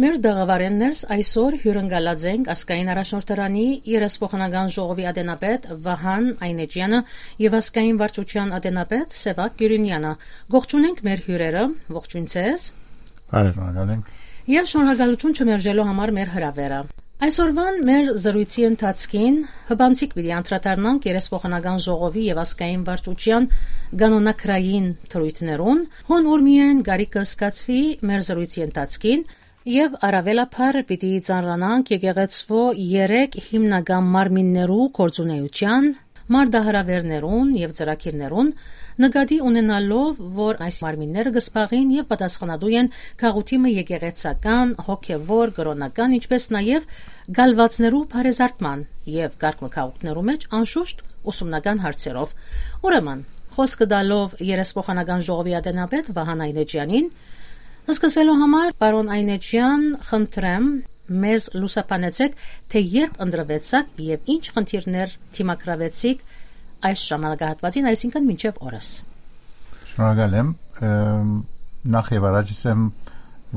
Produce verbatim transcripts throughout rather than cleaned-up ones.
Մեր տաղավարէն ներս այսօր հիւրընկալած ենք ազգային առաջնորդարանի երեսփոխանական ժողովի ատենապետ Վահան Այնէջեանը եւ ազգային վարչության ատենապետ Սեւակ Կիւրինեանը։ Կողջունենք մեր հիւրերը, ողջույն ձեզ։ Բարև։ Շնորհակալ ենք։ Եւ շնորհակալութիւն չմերժելու համար մեր հրաւերը։ Այսօրվան մեր զրոյցի ընթացքին հպանցիկ պիտի անդրադառնանք երեսփոխանական ժողովի եւ ազգային վարչության կանոնագրային դրոյթներուն, հոն ուր միայն կարիքը զգացուի մեր զրոյցի ընթացքին, եւ առաւելաբար պիտի ծանրանանք եկեղեցւոյ երեք հիմնական մարմիններու գործունեութեան, մարտահրաւերներուն եւ ծրագիրներուն, նկատի ունենալով, որ այս մարմինները կը զբաղին եւ պատասխանատու են գաղութի մը եկեղեցական, հոգեվոր, կրօնական, ինչպէս նաեւ կալուածներու բարեզարդման եւ կարգ մը գաղութներու մէջ անշուշտ ուսումնական հարցերով։ Ուրեմն, խօսքը տալով երեսփոխանական ժողովի ատենապետ Վահան Այնէջեանին, սկսելու համար, պարոն Այնէջեան, խնդրեմ, մեզ լուսաբանեցեք, թէ երբ ընտրուեցաք եւ ինչ խնդիրներ դիմագրաւեցիք այս ժամանակահատուածին, այսինքն մինչեւ օրս։ Շնորհակալ եմ։ Ըմ, նախ եւ առաջ ասեմ,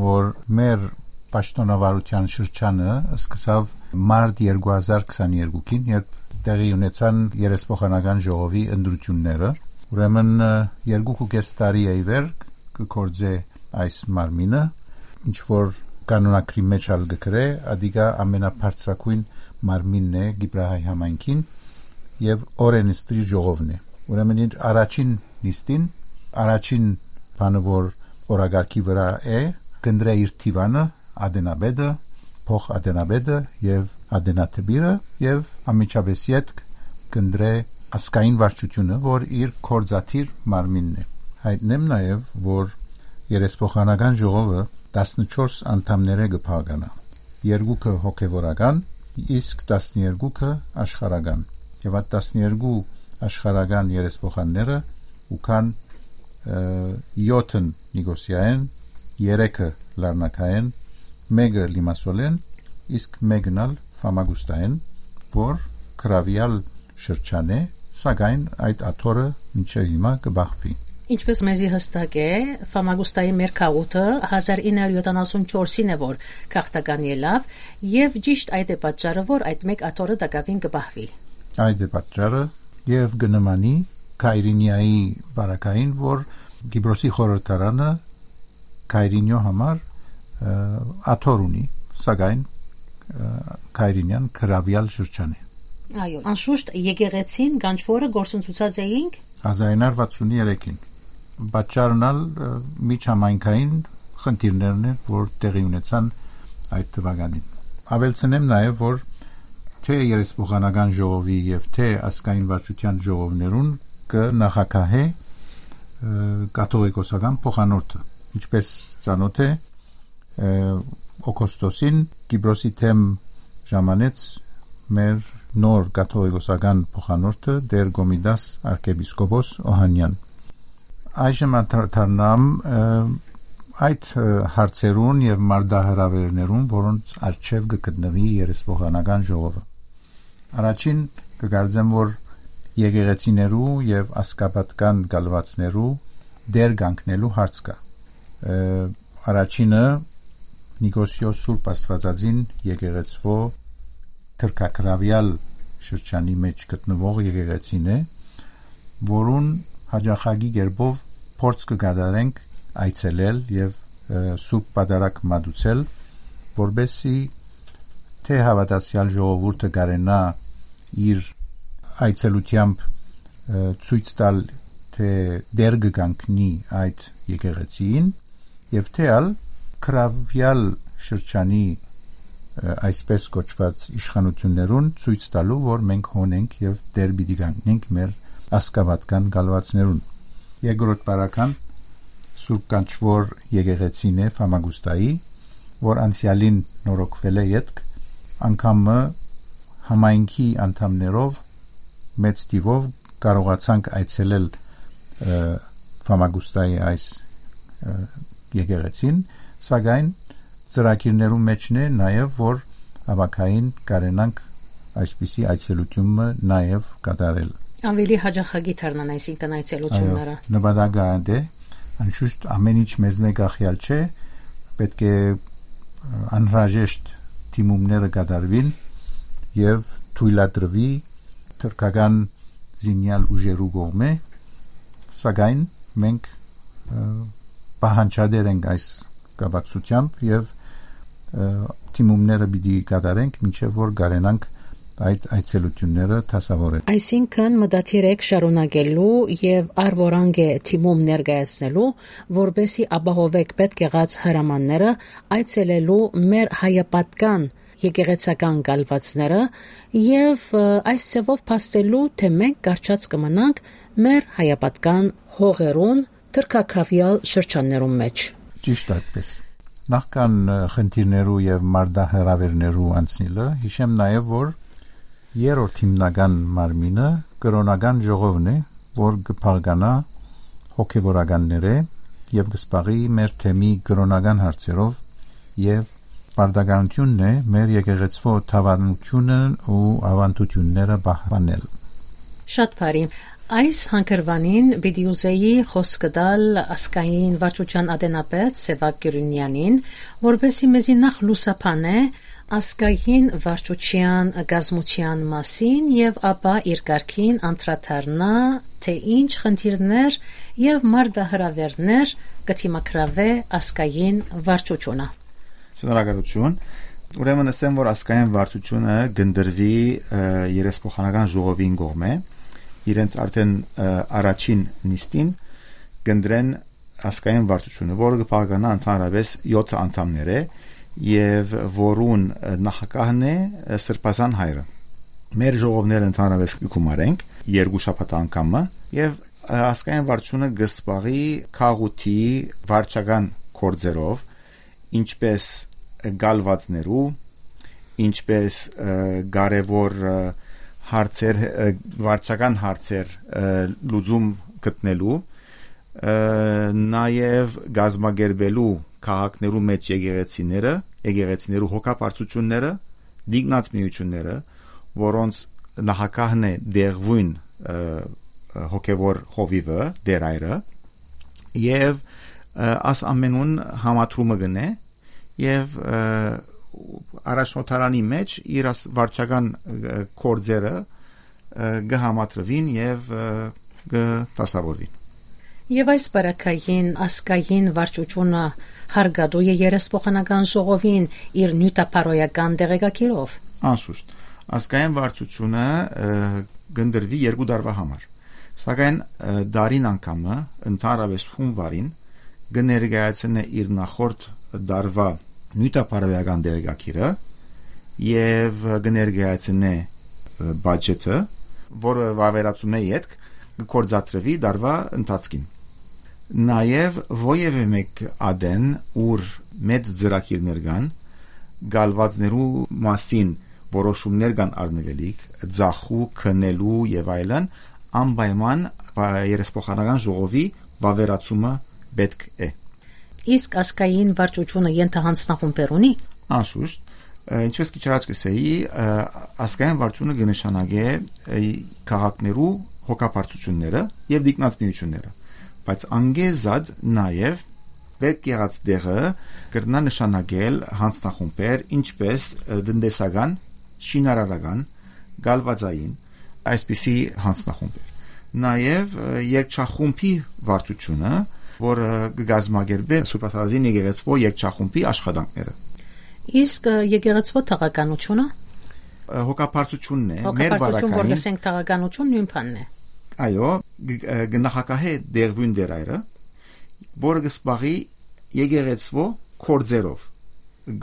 որ մեր պաշտոնավարության շրջանը սկսաւ մարտ երկու հազար քսաներկուին, երբ տեղի ունեցան երեսփոխանական ժողովի ընտրութիւնները։ Ուրեմն, ը, երկու ու կես տարի է ի վեր կը գործէ այս մարմինը, ինչ որ կանոնագրի մեջ ալ կը գրէ, ադիկա ամենաբարձրագոյն մարմինն է Կիպրահայ համայնքին եւ օրէնսդիր ժողովն է։ Ուրեմն իր առաջին նիստին, առաջին բանը որ օրակարգի վրայ է, կընտրէ իր դիւանը, ատենապետը, փոխ ատենապետը եւ ատենատպիրը եւ անմիջապէս ետք կընտրէ ազգային վարչությունը, որ իր գործադիր մարմինն է։ Հայտնեմ նաեւ, որ երեսփոխանական ժողովը տասնչորս անդամներէ կը բաղկանայ, երկուքը հոգեվորական, իսկ տասներկուքը աշխարհական։ Եւ այդ տասներկու աշխարհական երեսփոխանները ու կան, ը, յոթն Նիկոսիայէն, երեքը Լարնակայէն, մէկը Լիմասոլէն, իսկ մէկն ալ Ֆամագուստայէն, որ կրաւեալ շրջան է, սակայն այդ աթոռը մինչեւ հիմա կը պահուի։ Ինչպես մեզի հստակ է, Ֆամագուստայի մեր գաղութը հազար ինը հարիւր յոթանասուն չորսին է, որ գաղթական ելաւ, եւ ճիշտ այդ է պատճառը, որ այդ մէկ աթոռը տակաւին կը պահուի։ Այդ է պատճառը, եւ կը նմանի Քայրինիայի պարագային, որ Կիպրոսի խորհրդարանը Քայրինիոյ համար, ը, աթոռ ունի, սակայն, ը, Քայրինեան կրաւեալ շրջան է։ Այո, անշուշտ եկեղեցին, կանչուորը գործընծուցած էինք։ Հազար ինը հարիւր վաթսուն երեքին։ Պատճառն ալ, ը, միջհամայնքային խնդիրներն են, որ տեղի ունեցան այդ թվականին։ Աւելցնեմ նաեւ, որ թէ երեսփոխանական ժողովի եւ թէ ազգային վարչության ժողովներուն կը նախագահէ, ը, կաթողիկոսական փոխանորդը, ինչպես ծանօթ է, ը, օգոստոսին Կիպրոսի թեմ ժամանեց մեր նոր կաթողիկոսական փոխանորդը, Տէր Կոմիտաս արքեպիսկոպոս Օհանեան։ Այժմ անդրադառնամ, ը, այդ, ը, հարցերուն եւ մարտահրաւերներուն, որոնց առջեւ կը գտնուի երեսփոխանական ժողովը։ Առաջին կը կարծեմ, որ եկեղեցիներու եւ ազգապատկան կալուածներու դեր կանգնելու հարց կայ։ Ը, առաջինը Նիկոսիոս Սուրբ Աստվածածին եկեղեցւոյ թրքակրաւեալ շրջանի մեջ գտնուող եկեղեցին է, որուն յաճախակի կերպով փորձ կը կատարենք այցելել եւ, ը, Սուրբ Պատարագ մատուցել, որպեսզի թէ հաւատացեալ ժողովուրդը կարենայ իր այցելութեամբ, ը, ցոյց տալ, թէ դեր կը կանգնի այդ եկեղեցին, եւ թէ ալ կրաւեալ շրջանի, ը, այսպես կոչուած իշխանություններուն ցոյց տալու, որ մենք հոն ենք եւ դեր պիտի կանգնենք մեր ազգապատկան կալուածներուն։ Երկրորդ պարագան Սուրբ Կանչուոր եկեղեցին է Ֆամագուստայի, որ անցեալին նորոգվել է ետք, անգամ մը համայնքի անդամներով մեծ թիվով կարողացանք այցելել, ը, Ֆամագուստայի այս, ը, եկեղեցին, սակայն ծրագիրներու մեջն է նաեւ, որ ապագային կարենանք այսպիսի այցելութիւնը նաեւ կատարել։ Ավելի յաճախակի դառնան, այսինքն, այցելությունները։ Այո, նպատակը այդ է, անշուշտ ամեն ինչ մեզմէ կախեալ չէ, պէտք է անհրաժեշտ դիմումները կատարուին եւ թոյլատրուի թրքական զինեալ ուժերու կողմէ, սակայն մենք, ը, պահանջատեր ենք այս կապակցությամբ եւ, ը, դիմումները պիտի կատարենք, մինչեւ որ կարենանք այդ այցելությունները դասավորել։ Այսինքն մտադիր եք շարունակելու եւ առ որանգ է դիմում ներկայացնելու, որպեսզի ապահովեք պետք եղած հրամանները այցելելու մեր հայապատկան եկեղեցական կալվածները եւ, ը, այս ձեւով փաստելու, թե մենք կառչած կը մնանք մեր հայապատկան հողերուն թրքագրաւեալ շրջաններուն մէջ։ Ճիշտ այդպես։ Նախքան, ը, խնդիրներու եւ մարտահրաւերներու անցնիլը, յիշեմ նաեւ, որ երրորդ հիմնական մարմինը կրօնական ժողովն է, որ կը փաղկանայ հոգեվորականներէ եւ կը զբաղի մեր թեմի կրօնական հարցերով եւ պարտականութիւնն է մեր եկեղեցւոյ դաւանութիւնը ու աւանդութիւնները պահպանել։ Շատ բարի։ Այս հանգրուանին պիտի ուզեի խօսքը տալ ազգային վարչության ատենապետ Սեւակ Կիւրունեանին, որպեսզի մեզի նախ լուսաբանէ ազգային վարչության կազմության մասին եւ ապա իր կարգին անդրադառնայ, թե ինչ խնդիրներ եւ մարտահրաւերներ կը դիմագրաւէ ազգային վարչությունը։ Շնորհակալություն։ Ուրեմն ըսեմ, որ ազգային վարչությունը կ'ընտրուի, ը, երեսփոխանական ժողովին կողմէ, իրենց արդեն, ը, առաջին նիստին կ'ընտրեն ազգային վարչությունը, որը կը փաղկանայ ընդհանրապես յոթ անդամներէ եւ որուն, ը, նախագահն է, ը, Սրբազան Հայրը։ Մեր ժողովները ընդհանրապես կը գումարենք երկու շաբաթ անգամը եւ, ը, ազգային վարչությունը կը զբաղի քաղուտի վարչական գործերով, ինչպես կալվածներու, ինչպես, ը, կարեւոր, ը, հարցեր, ը, վարչական հարցեր, ը, լուծում գտնելու, ը, նաեւ կազմակերպելու քաղաքներու մէջ եկեղեցիները, եկեղեցիներու հոգաբարձությունները, դիգնած միությունները, որոնց նախագահն է դեղվոյն, ը, ը, հոգեվոր հովիվը, դերայրը, եւ, ը, աս ամենուն համադրումը կ'ընէ եւ, ը, առաջնորդարանի մէջ իր աս վարչական, ը, գործերը, ը, կը համադրուին եւ, ը, կը դասավորուին։ Եւ այս պարագային ազգային վարչությունը հարկատու է երեսփոխանական ժողովին իր նիւթապարոյական տեղեկագիրով։ Անշուշտ, ազգային վարչությունը, ը, կ'ընտրուի երկու տարուայ համար, սակայն, ը, տարին անգամը, ընդհանրապես հունվարին, կը ներկայացնէ իր նախորդ տարուայ նիւթապարոյական տեղեկագիրը եւ կը ներկայացնէ, ը, բաճէթը, որը վավերացումէ ետք կը գործադրուի տարուայ ընթացքին։ Նաեւ որեւէ մէկ ատեն, ուր մեծ ծրագիրներ կան, կալվածներու մասին որոշումներ կան առնուելիք, ձախու, քնելու եւ այլն, անպայման պա-, երեսփոխանական ժողովի վավերացումը պէտք է։ Իսկ ազգային վարչությունը ենթահանձնախումբեր ունի՞։ Անշուշտ, ը, ինչպես քիչ առաջ կ'ըսէի, ը, ազգային վարչությունը կը նշանակէ, ը, քաղաքներու հոգաբարձությունները եւ դիգնած միությունները, բայց անգեզատ նաեւ պէտք եղած տեղը կրնայ նշանակել յանձնախումբեր, ինչպես, ը, տնտեսական, շինարարական, կալվածային, այսպիսի յանձնախումբեր։ Նաեւ, ը, երգչախումբի վարչությունը, որը կը կազմակերպէ Սուրբ Աստվածածին եկեղեցւոյ երգչախումբի աշխատանքները։ Իսկ, ը, եկեղեցւոյ թաղականությունը։ Ը, հոգաբարձությունն է, մեր հոգաբարձություն, որ պարագային, լսենք, թաղականություն նոյն բանն է։ Այո, ը, կը նախագահէ դեղուին դերայրը, որը կը զբաղի եկեղեցւոյ գործերով,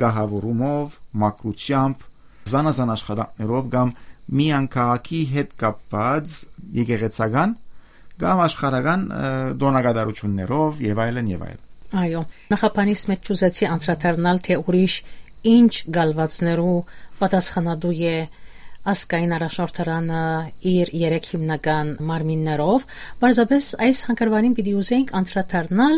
գահավորումով, մաքրությամբ, զանազան աշխատանքներով կամ միայն քաղաքի հետ կապված եկեղեցական կամ աշխարհական, ը, տօնակատարություններով եւ այլն, եւ այլն։ Այո, նախաբանիս մէջ չուզեցի անդրադառնալ, թե ուրիշ ինչ գալվածներու պատասխանատու է ազգային առաջնորդարանը իր երեք հիմնական մարմիններով։ Պարզապէս այս հանգրուանին պիտի ուզենք անդրադառնալ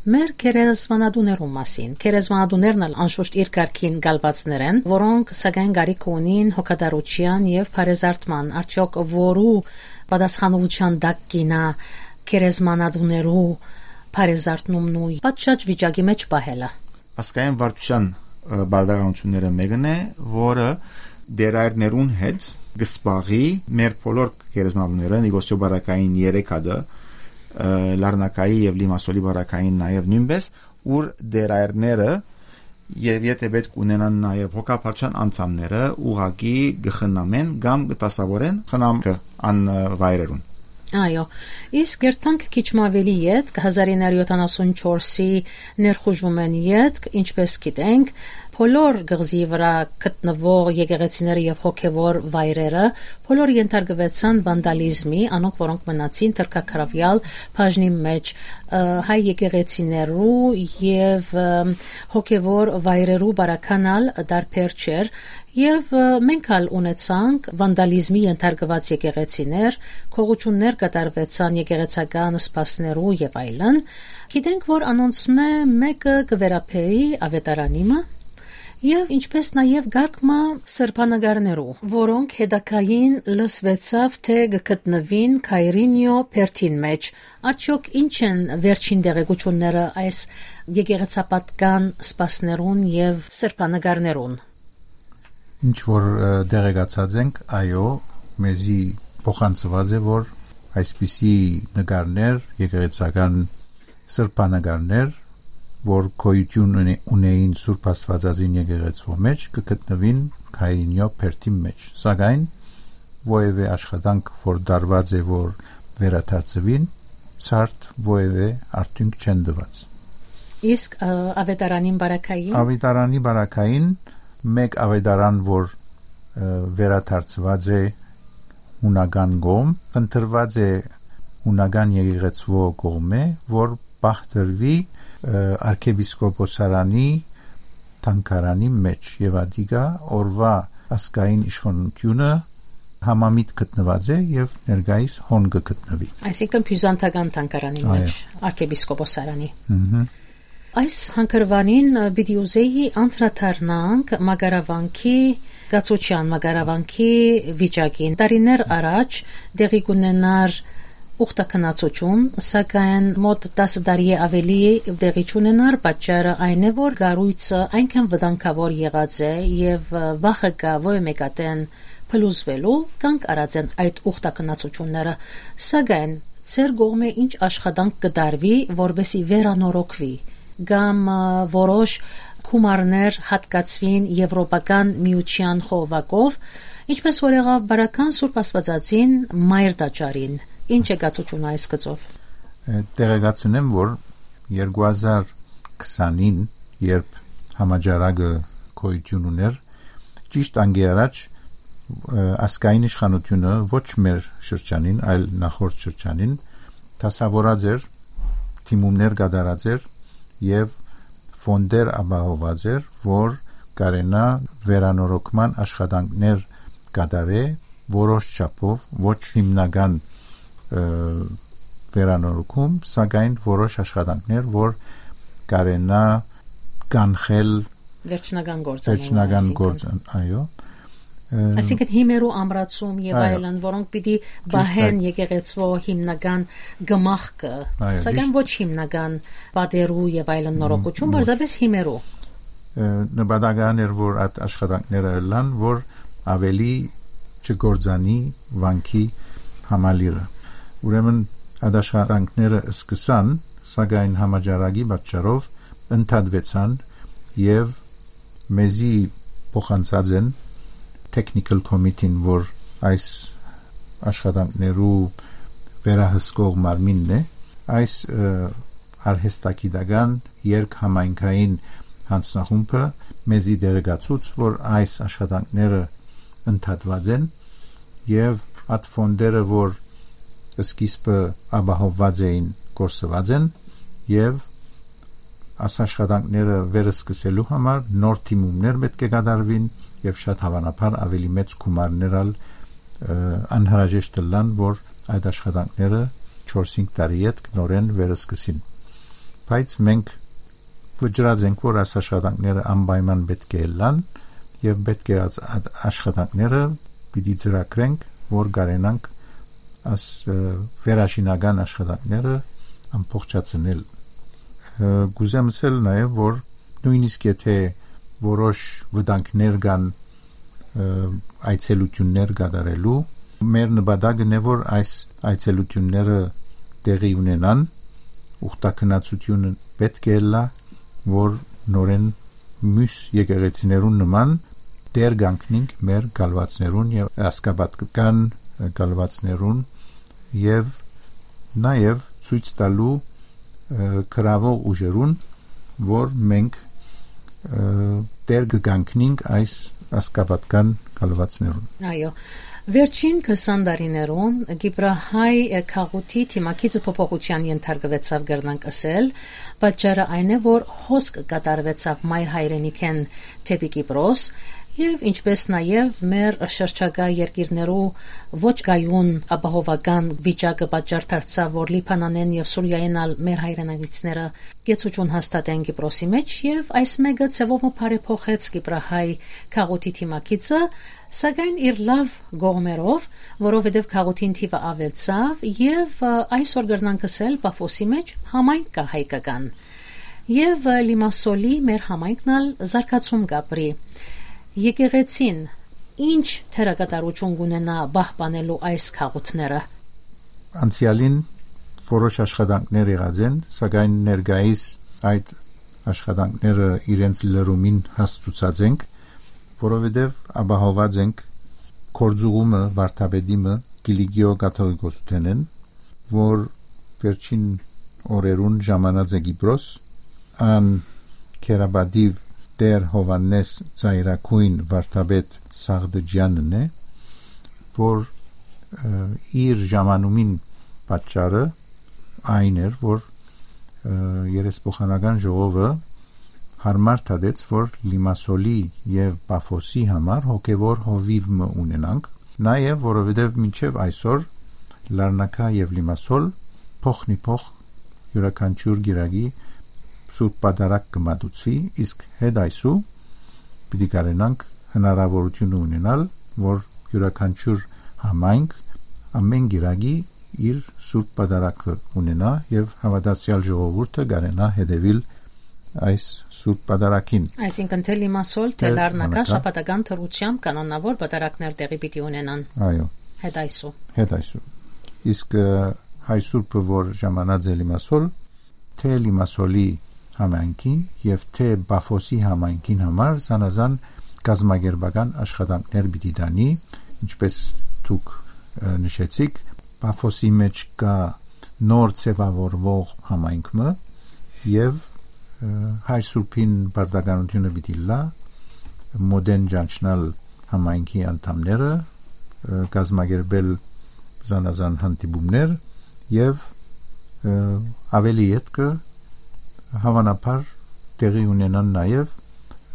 մեր գերեզմանատուներու մասին։ Գերեզմանատուներն ալ անշուշտ իր կարգին գալվածներ են, որոնք սակայն կարիք ունին հոգատարության եւ բարեզարդման, արդյոք որու պատասխանողության տակ կինա գերեզմանատուներու բարեզարդնումն ու պատշաճ վիճակի մէջ պահելը։ Ազգային վարչության պարտականութիւնները մէկն է, որը դերայրներուն հետ կը զբաղի մեր բոլոր գերեզմանուները, Նիկոսիո Բարակային երեք հատը, Լառնակայի եւ Լիմասոլի Բարակային նաեւ նոյնպէս, ուր դերայրները եւ եթե պէտք ունենան նաեւ հոգաբարձութեան անդամները, ուղղակի կը խնամեն կամ կը դասաւորեն խնամքը անվայրերուն։ Այո, իսկ երթանք քիչ մը աւելի ետք, հազար ինը հարիւր յոթանասուն չորսի ներխուժումէն ետք, ինչպէս գիտենք, բոլոր կղզի վրայ գտնուող եկեղեցիները եւ հոգեվոր վայրերը, բոլոր ենթարկուեցան վանդալիզմի, անոնք, որոնք մնացին թրքակառաւեալ բաժնի մեջ, ը, հայ եկեղեցիներու եւ, ը, հոգեվոր վայրերու բարականալ դարբեր չէր, եւ, ը, մենք ալ ունեցանք վանդալիզմի ենթարկուած եկեղեցիներ, քողութիւններ կատարուեցան եկեղեցական սպասներու եւ այլն։ Գիտենք, որ անոնցմէ մէկը կը վերաբերի Աւետարանի մը, եւ ինչպէս նաեւ կարգ մը սրբանկարներու, որոնք հետագային լսուեցաւ, թէ կը գտնուին Քայրինիո բերդին մէջ։ Արդեօք ի՞նչ են վերջին տեղեկութիւնները այս եկեղեցապատկան սպասներուն եւ սրբանկարներուն։ Ինչ որ, ը, տեղեկացած ենք, այո, մեզի փոխանցուած է, որ այսպիսի նկարներ, եկեղեցական սրբանկարներ, որ գոյութիւն ունի-, ունեին Սուրբ Աստուածածին եկեղեցւոյ մէջ, կը գտնուին Քայրինիո բերդին մէջ։ Սակայն որեւէ աշխատանք, որ տարուած է, որ վերադարձուին, ցարդ որեւէ արդիւնք չեն տուած։ Իսկ, ը, Աւետարանին բարակային։ Աւետարանի բարակային մէկ աւետարան, որ, ը, վերադարձուած է հունական կողմ, ընտրուած է հունական եկեղեցւոյ կողմէ, որ պահ տրուի, ը, արքեպիսկոպոսարանի թանգարանի մէջ, եւ ատիկա օրուայ ազգային իշխանութիւնը համամիտ գտնուած է եւ ներկայիս հոն կը գտնուի։ Այսինքն բիւզանդական թանգարանի Այո։ Մէջ, արքեպիսկոպոսարանի։ Մհմ։ Այս հանգրուանին, ը, պիտի ուզեի անդրադառնանք մակարավանքի, կացութեան մակարավանքի վիճակին։ Տարիներ առաջ տեղի կունենար ուխտագնացութիւն, սակայն մօտ տասը տարի է աւելի տեղի չունենար, պատճառը այն է, որ կառոյցը այնքան վտանգաւոր եղած է եւ, ը, վախը կայ, որ մէկատեն փլուզուելու, կանգ առած են այդ ուխտագնացութիւնները, սակայն ձեր կողմէ ի՞նչ աշխատանք կը տարուի, որպէսզի վերանորոգուի, կամ, ը, որոշ գումարներ յատկացուին Եվրոպական Միութեան խողովակով, ինչպէս որ եղաւ Բարական Սուրբ Աստուածածին մայր տաճարին։ Ի՞նչ է կացութիւնը այս գծով։ Ը, տեղեկացնեմ, որ երկու հազար քսանին, երբ համաճարակը գոյութիւն ունէր, ճիշտ անկէ առաջ, ը, ազգային իշխանութիւնը ոչ մեր շրջանին, այլ նախորդ շրջանին դասաւորած էր, դիմումներ կատարած էր եւ ֆոնդեր ապահոված էր, որ կարենայ վերանորոգման աշխատանքներ կատարէ որոշ չափով, ոչ հիմնական, ը, վերանորոգում, սակայն որոշ աշխատանքներ, որ կարենայ կանխել վերջնական գործը, վերջնական այսինքն գործը, այո։ Ը, Այսինքն հիմերու ամրացում եւ այո։ Այլն, որոնք պիտի Ճիշտ պահեն այդ։ Եկեղեցվո հիմնական գմախքը, Այո, սակայն ճիշտ։ Ոչ հիմնական պատերու եւ այլն նորոգություն, Ոչ։ Պարզապես հիմերու։ Ը, նպատական էր, որ այդ աշխատանքները ըլլան, որ ավելի չգործանի վանքի համալիրը։ Ուրեմն այդ աշխատանքները սկսան, սակայն համաճարակի պատճառով ընդհատվեցան եւ մեզի փոխանցած են technical committee-ն, որ այս աշխատանքներու վերահսկող մարմինն է, այս, ը, արհեստագիտական երկհամայնքային հանձնախումբը մեզի տեղեկացուց, որ այս աշխատանքները ընդհատված են եւ այդ ֆոնդերը, որ սկիզբը ապահովված էին, կորսված են եւ այս աշխատանքները վերսկսելու համար նոր դիմումներ պէտք է կատարուին եւ շատ հաւանաբար ավելի մեծ գումարներ ալ, ը, անհրաժեշտ ըլլան, որ այդ աշխատանքները չորս-հինգ տարի ետք նորէն վերսկսին։ Բայց մենք վճռած ենք, որ այս աշխատանքները անպայման պէտք է ըլլան եւ պէտք է այս ա-, աշխատանքները պիտի ծրագրենք, որ կարենանք այս, ը, վերաշինական աշխատանքները ամբողջացնել։ Ը, կուզեմ ասել նաեւ, որ նոյնիսկ եթե որոշ վտանգներ կան, ը, այցելութիւններ կատարելու։ Մեր նպատակն է, որ այս այցելութիւնները տեղի ունենան, ուխտագնացութիւնը պէտք է ըլլայ, որ նորէն միւս եկեղեցիներուն նման տեր կանգնինք մեր կալուածներուն եւ ասկապատկական կալուածներուն, եւ նաեւ ցոյց տալու, ը, գրաւող ուժերուն, որ մենք, ը, տեր կը կանգնինք այս ասկապատկական կալուածներուն։ Այո, վերջին քսան տարիներուն Կիպրահայ գաղութի դիմագիծը փոփոխութեան ենթարկուեցաւ, կրնանք ըսել։ Պատճառը այն է, որ հոսք կատարուեցաւ մայր հայրենիքէն դէպի Կիպրոս, եւ ինչպէս նաեւ մեր շրջակայ երկիրներու ոչ կայուն ապահովական վիճակը պատճառ դարձաւ, որ Լիբանանէն եւ Սուրիայէն ալ մեր հայրենակիցները կեցուչուն հաստատեն Կիպրոսի մէջ, եւ այս մէկը ձեւով մը բարեփոխեց Կիպրահայ գաղութի դիմագիծը, սակայն իր լաւ կողմերով, որովհետեւ գաղութին թիւը աւելցաւ եւ, ը, այսօր կրնանք ըսել Պաֆոսի մէջ համայնք կայ հայկական։ Եւ, ը, Լիմասոլի մեր համայնքն ալ զարգացում կապրի։ Եկեղեցին ինչ դերակատարութիւն կունենայ պահպանելու այս գաղութները։ Անցեալին որոշ աշխատանքներ եղած են, սակայն ներկայիս այդ աշխատանքները իրենց լրումին հասցուցած ենք, որովհետեւ ապահոված ենք գործուղումը վարդապետի մը Կիլիկիո կաթողիկոսութենէն, որ վերջին օրերուն ժամանած է Կիպրոս, ան քերապատիւ Տէր Յովհաննէս Ծայրագոյն վարդապետ Սաղդջեանն է, որ, ը, իր ժամանումին պատճառը այն էր, որ, ը, երեսփոխանական ժողովը յարմար դատեց, որ Լիմասոլի եւ Պաֆոսի համար հոգեվոր հովիւ մը ունենանք, նաեւ որովհետեւ մինչեւ այսօր Լարնակա եւ Լիմասոլ փոխնիփոխ յուրաքանչիւր կիրակի Սուրբ Պատարագ կը մատուցուի, իսկ հետ այսու պիտի կարենանք հնարաւորութիւնը ունենալ, որ յուրաքանչիւր համայնք ամէն կիրակի իր Սուրբ Պատարագը ունենայ եւ հաւատացեալ ժողովուրդը կարենայ հետեւիլ այս Սուրբ Պատարագին։ Այսինքն, թէ Լիմասոլ, թէ Թէ Լարնակա Լարնակա։ շաբաթական դրությամբ կանոնաւոր պատարագներ տեղի պիտի ունենան։ Այո, Հետ այսու։ Հետ այսու։ Իսկ, ը, հայ սուրբը, որ ժամանած է Լիմասոլ, թէ Լիմասոլի համայնքին եւ թէ Պաֆոսի համայնքին համար զանազան կազմակերպական աշխատանքներ պիտի տանի, ինչպես դուք, ը, նշեցիք, Պաֆոսի մէջ կայ նոր ձեւաւորուող համայնք մը եւ, ը, հայ սուրբին պարտականութիւնը պիտի լա մօտէն ճանչնալ համայնքի անդամները, ը, կազմակերպել զանազան հանդիպումներ եւ, ը, ավելի ետքը հաւանաբար տեղի ունենան նաեւ,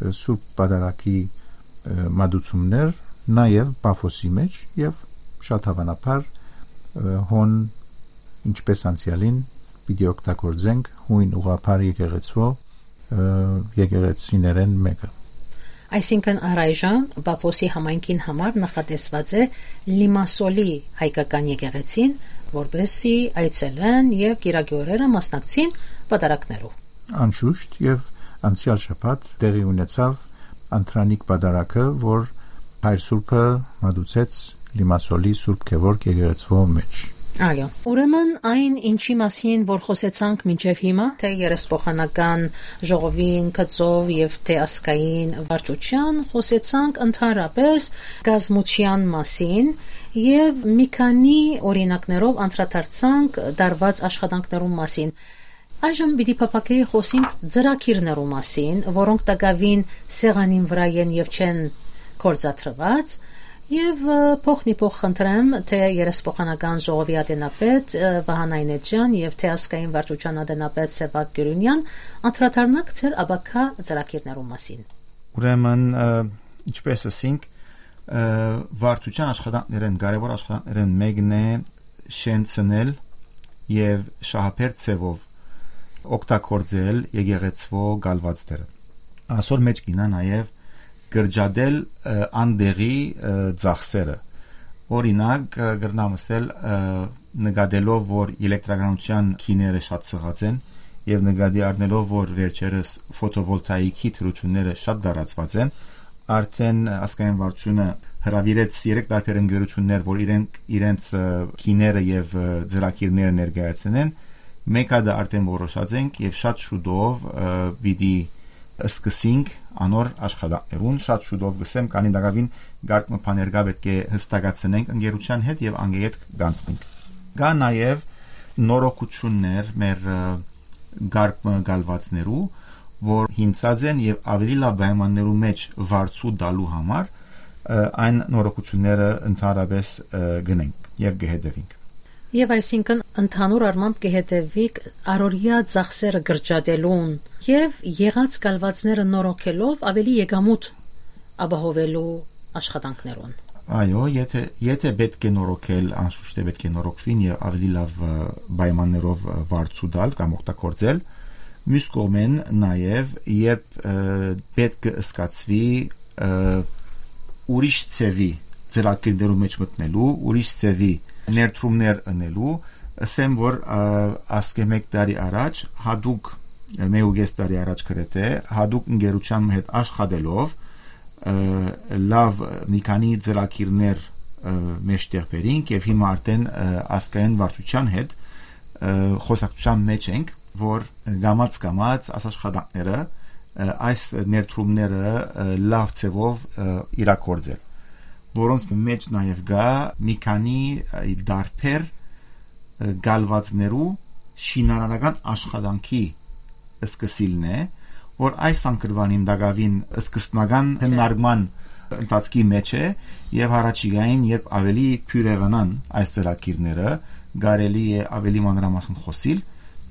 ը, Սուրբ Պատարագի, ը, մատուցումներ, նաեւ Պաֆոսի մէջ եւ շատ հաւանաբար, ը, հոն, ինչպես անցեալին, պիտի օգտագործենք հոյն ուղղափառ եկեղեցւոյ, ը, եկեղեցիներէն մէկը։ Այսինքն առայժմ Պաֆոսի համայնքին համար նախատեսված է Լիմասոլի հայկական եկեղեցին, որպեսզի այցելեն եւ կիրակի օրերը մասնակցին պատարագներու։ Անշուշտ, եւ անցեալ շաբաթ տեղի ունեցաւ Անդրանիկ պատարագը, որ հայր սուրբը մատուցեց Լիմասոլի Սուրբ Գևորգ եկեղեցւոյ մէջ։ Այո։ Ուրեմն այն, ինչի մասին որ խոսեցանք մինչեւ հիմա, թէ երեսփոխանական ժողովին գծով եւ թէ ազգային վարչութեան, խոսեցանք ընդհանրապես կազմութեան մասին եւ մի քանի օրինակներով անդրադարձանք տարուած աշխատանքներուն մասին։ Այժմ պիտի փափաքեի, խոսենք ծրագիրներու մասին, որոնք տակաւին սեղանին վրայ են եւ չեն գործադրուած, եւ, ը, փոխնիփոխ խնդրեմ, թէ երեսփոխանական ժողովի ատենապետ, ը, Վահան Այնէջեան եւ թէ ազգային վարչութեան ատենապետ Սեւակ Գիւրունեան անդրադառնաք ձեր ապագայ ծրագիրներու մասին։ Ուրեմն, ը, ինչպես ասինք, ը, վարչութեան աշխատանքներէն, կարեւոր աշխատանքներէն մէկն է շենցնել եւ շահաբեր ձեւով օգտագործել եկեղեցւոյ կալուածները։ Ասոր մէջ կինա նաեւ կրճատել, ը, անտեղի, ը, ծախսերը։ Օրինակ, ը, կրնամ ասել, ը, նկատելով, որ էլեկտրականութեան գիները շատ սղած են Եւ նկատի առնելով, որ վերջերս ֆոտովոլտաիկի թռիչքները շատ տարածուած են, արդէն ազգային վարչությունը հրաւիրեց երեք տարբեր ընկերություններ, որ իրենք իրենց, ը, գիները եւ, ը, ծրագիրները ներկայացնեն։ Մէկ հատը արդէն որոշած ենք եւ շատ շուտով, ը, պիտի սկսենք անոր աշխատանքներուն, շատ շուտով կ'ըսեմ, քանի տակաւին կարգ մը բաներ կայ, պէտք է հստակացնենք ընկերութեան հետ եւ անկետ կանցնենք։ Կայ նաեւ նորոգութիւններ մեր, ը, կարգ մը կալուածներու, որ հիմնած են եւ աւելի լաւ պայմաններու մէջ վարձու տալու համար, ը, այն նորոգութիւնները ընդհանրապէս, ը, կ'ընենք եւ կը հետեւինք։ Եւ այսինքն ընդհանուր առմամբ կը հետեւիք առօրեայ ծախսերը կրճատելուն եւ եղած կալուածները նորոգելով աւելի եկամուտ ապահովելու աշխատանքներուն։ Այո, եթե, եթե պէտք է նորոգել, անշուշտ է պէտք է նորոգուին եւ աւելի լաւ, ը, պայմաններով, ը, վարձու տալ կամ օգտագործել։ Մյուս կողմէն նաեւ, երբ, ը, պէտք կը սկացուի, ը, ուրիշ ձեւի ծրագիրներու մէջ մտնելու, ուրիշ ձեւի ներդրումներ ընելու, ըսեմ, որ, ը, ասկէ մէկ տարի առաջ, հատուկ, մէկ ու կէս տարի առաջ գրեթէ, հատուկ ընկերութեան հետ աշխատելով, ը, լաւ մի քանի ծրագիրներ, ը, մէջտեղ բերինք եւ հիմա արդէն, ը, ազգային վարչութեան հետ, ը, խօսակցութեան մէջ ենք, որ կամաց-կամաց այս աշխատանքները, ը, այս ներդրումները, ը, լաւ ձեւով, ը, իրագործել, որոնց մէջ նաեւ կայ մի քանի, ը, տարբեր, ը, կալուածներու շինարարական աշխատանքի սկսիլն է, որ այս անկրուանին տակաւին սկզբնական քննարկման ընթացքի մէջ է եւ յառաջիկային, երբ աւելի բիւրեղանան այս ծրագիրները, կարելի է աւելի մանրամասն խօսիլ։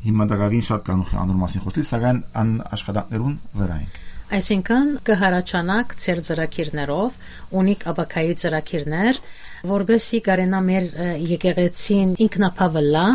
Հիմա տակաւին շատ կանուխ է անոր մասին խօսիլ, սակայն ան աշխատանքներուն վրայ ենք։ Այսինքն, կը հառաչանաք ձեր ծրագիրներով, ունիք ապագայի ծրագիրներ, որպեսզի կարենայ մեր, ը, եկեղեցին ինքնաբաւը լայ,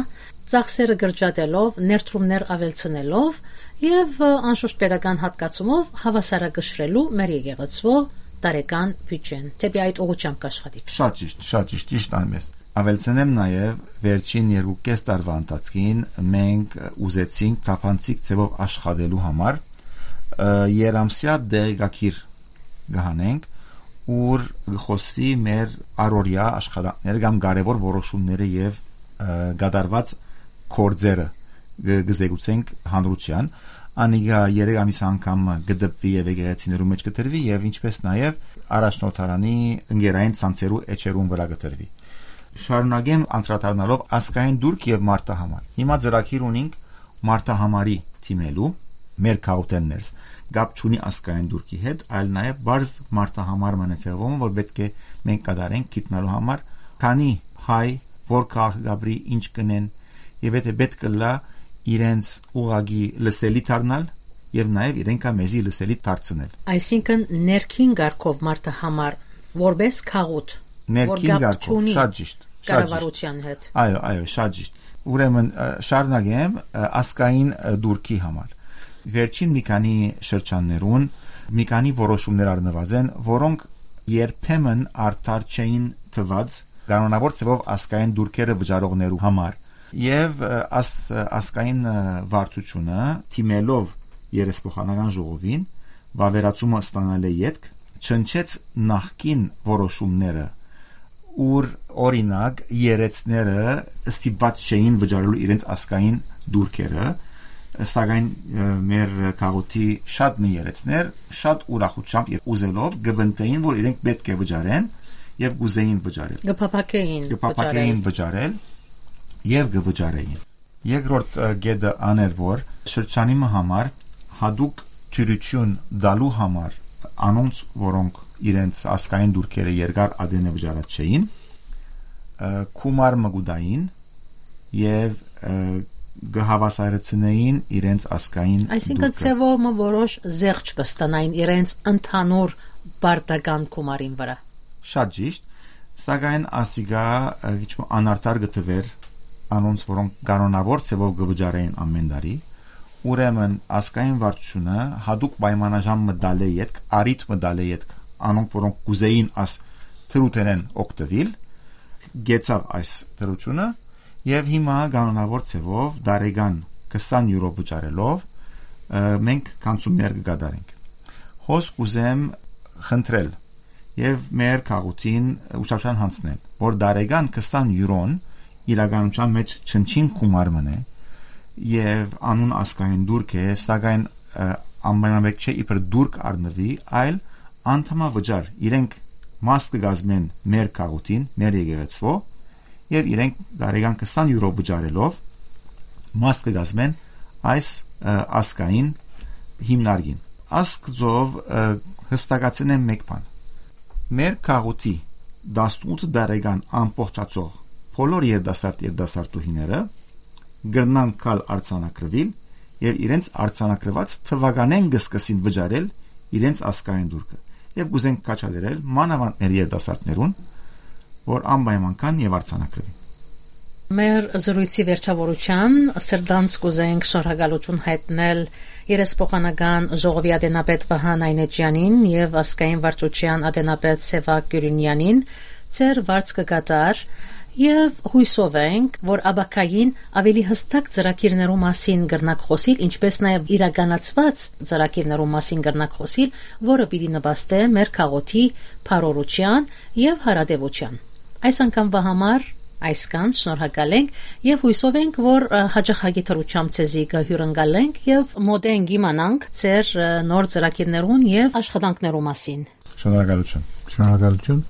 ծախսերը կրճատելով, ներդրումներ աւելցնելով եւ, ը, անշուշտ պետական հատկացումով հաւասարակշռելու մեր եկեղեցւոյ տարեկան բիւջեն։ Դէպի այդ ուղղութեամբ կ'աշխատիք։ Շատ ճիշտ, շատ ճիշտ, ճիշտ այնպես։ Աւելցնեմ նաեւ, վերջին երկու կէս տարուայ ընթացքին մենք ուզեցինք թափանցիկ ձեւով աշխատելու համար, ը, երամսեայ տեղեկագիր կը հանենք, ուր կը խօսուի մեր առօրեայ աշխատանքները կամ կարեւոր որոշումները եւ, ը, կատարուած գործերը կը, կը զեկուցենք հանրութեան։ Անիկա երեք ամիս անգամ կը տպուի եւ եկեղեցիներու մէջ կը դրուի եւ ինչպէս նաեւ առաջնորդարանի ընկերային ցանցերու էջերուն վրայ կը դրուի։ Շարունակեմ անդրադառնալով ազգային տուրք եւ մարդահամար։ Հիմա ծրագիր ունինք մարդահամարի թիմելու, մեր քաղաքէն ներս, կապ չունի ազգային տուրքի հետ, այլ նաեւ պարզ մարդահամար մնացեւով, որ պէտք է մենք կատարենք գիտնալու համար, քանի հայ, որ քաղաք կապրի, ինչ կնեն, եւ եթե պէտք ըլլայ իրենց ուղղակի լսելի դառնալ եւ նաեւ իրենք ա մեզի լսելի դարձնել։ Այսինքն ներքին կարգով մարդահամար, որպես քաղուտ, որ Ներքին կապ կարգով, չունի շատ ճիշտ, շատ ճիշտ։ կառավարութեան հետ։ Այո, այո, շատ ճիշտ։ Ուրեմն, ը, շարունակեմ, ը, ազգային, ը, դուրքի համար։ Վերջին մի քանի շրջաններուն մի քանի որոշումներ առնուած են, որոնք երբեմն արդար չէին թված կանոնավոր ձևով ազգային դուրքերը վճարողներու համար։ Եւ, ը, աս-, ը, ազգային, ը, վարչությունը, թիմելով երեսփոխանական ժողովին, վավերացումը ստանալէ ետք, չնչեց նախկին որոշումները, ուր, օրինակ, երեցները ստիպված չէին վճարելու իրենց ազգային դուրքերը, սակայն, ը, մեր քաղուտի շատ մի երեցներ շատ ուրախությամբ եւ ուզելով կը պնդէին, որ իրենք պէտք է վճարեն եւ կ'ուզէին վճարել։ Կը փափաքէին Կը փափաքէին վճարել։ վճարել եւ կը վճարէին։ Երկրորդ, ը, կետը ան էր, որ շրջանի մը համար հատուկ դիւրութիւն տալու համար անոնց, որոնք իրենց ազգային դուրքերը երկար ատենէ վճարած չէին, ը, գումար մը կու տային եւ, ը, կը հաւասարեցնեին իրենց ազգային Այսինքն դուրքը։ Ձեւով մը որոշ զեղչ կը ստանային իրենց ընդհանուր պարտական գումարին վրայ։ Շատ ճիշտ, սակայն ասիկա, ը, քիչ մը անարդար կը թուէր անոնց, որոնք կանոնավոր ձևով կը վճարեին ամեն տարի, ուրեմն ազգային վարչությունը հատուկ պայմանաժամ մը տալէ ետք, առիթ մը տալէ ետք, անոնք, որոնք կ'ուզէին աս թրութենեն օգտվել, գեցաւ այս թրությունը եւ հիմա կանոնավոր ձևով տարեկան քսան յուրո վճարելով, ը, մենք գանձումներ կը կատարենք։ Հոս կ'ուզեմ խնդրել եւ մեր քաղաքին ուշադրության հանձնել, որ տարեկան քսան յուրոն իրականության մեջ չնչին գումար մնե եւ անուն ազգային դուրք է, սակայն, ը, անպայմանաբար չէ իբր դուրք առնուի, այլ անդամավճար, իրենք մաս կը կազմեն մեր քաղաքին, մեր եկեղեցւոյ, եւ իրենք տարեկան քսան յուրո վճարելով մաս կը կազմեն այս, ը, ազգային հիմնարկին։ Ասկզով, ը, հստակացնեմ մեկ բան։ Մեր քաղաքի տասնութ տարեկան ամբողջացող բոլոր երիտասարդ երիտասարդուհիները կրնան գալ արձանագրուիլ եւ իրենց արձանագրուած թուականէն կը սկսին վճարել իրենց ազգային դուրքը։ Եւ կ'ուզենք քաջալերել մանաւանդ մեր երիտասարդներուն, որ անպայման գան եւ արձանագրուին։ Մեր զրոյցի վերջաւորութեան սրտանց կ'ուզենք շնորհակալութիւն յայտնել երեսփոխանական ժողովի ատենապետ Վահան Այնէջեանին եւ ազգային վարչութեան ատենապետ Սեւակ Կիւրինեանին, ձեր վարձքը կատար, եւ յոյսով ենք, որ ապագային աւելի յստակ ծրագիրներու մասին կրնաք խօսիլ, ինչպէս նաեւ իրականացուած ծրագիրներու մասին կրնաք խօսիլ, որը պիտի նպաստէ մեր քաղաքի բարօրութեան եւ հարատեւութեան։ Այս անգամվա համար այսքան, շնորհակալ ենք եւ յոյսով ենք, որ, ը, յաճախակի դրությամբ ձեզի կը հիւրընկալենք եւ մօտէն կ'իմանանք ձեր, ը, նոր ծրագիրներուն եւ աշխատանքներու մասին։ Շնորհակալութիւն։ Շնորհակալութիւն։